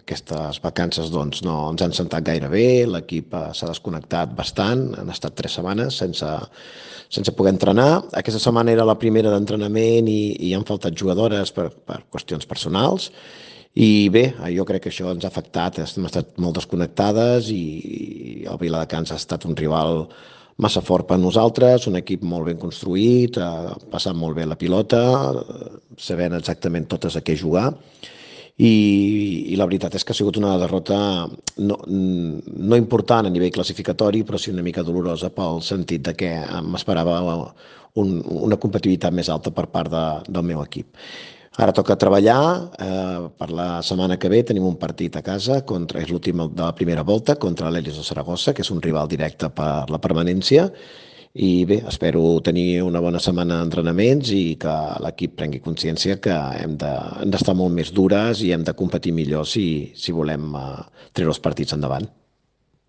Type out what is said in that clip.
aquestes vacances doncs, no ens han sentat gaire bé, l'equip s'ha desconnectat bastant, han estat 3 setmanes sense poder entrenar. Aquesta setmana era la primera d'entrenament i han faltat jugadores per qüestions personals. I bé, jo crec que això ens ha afectat, hem estat molt desconnectades i el Viladecans ha estat un rival massa fort per nosaltres, un equip molt ben construït, passant molt bé la pilota, sabent exactament totes a què jugar, i la veritat és que ha sigut una derrota no important a nivell classificatori, però sí una mica dolorosa pel sentit de que m'esperava una competitivitat més alta per part del meu equip. Ara toca treballar, per la setmana que ve tenim un partit a casa, és l'últim de la primera volta, contra l'Elis de Saragossa, que és un rival directe per la permanència, i bé, espero tenir una bona setmana d'entrenaments i que l'equip prengui consciència que hem d'estar molt més dures i hem de competir millor si volem treure els partits endavant.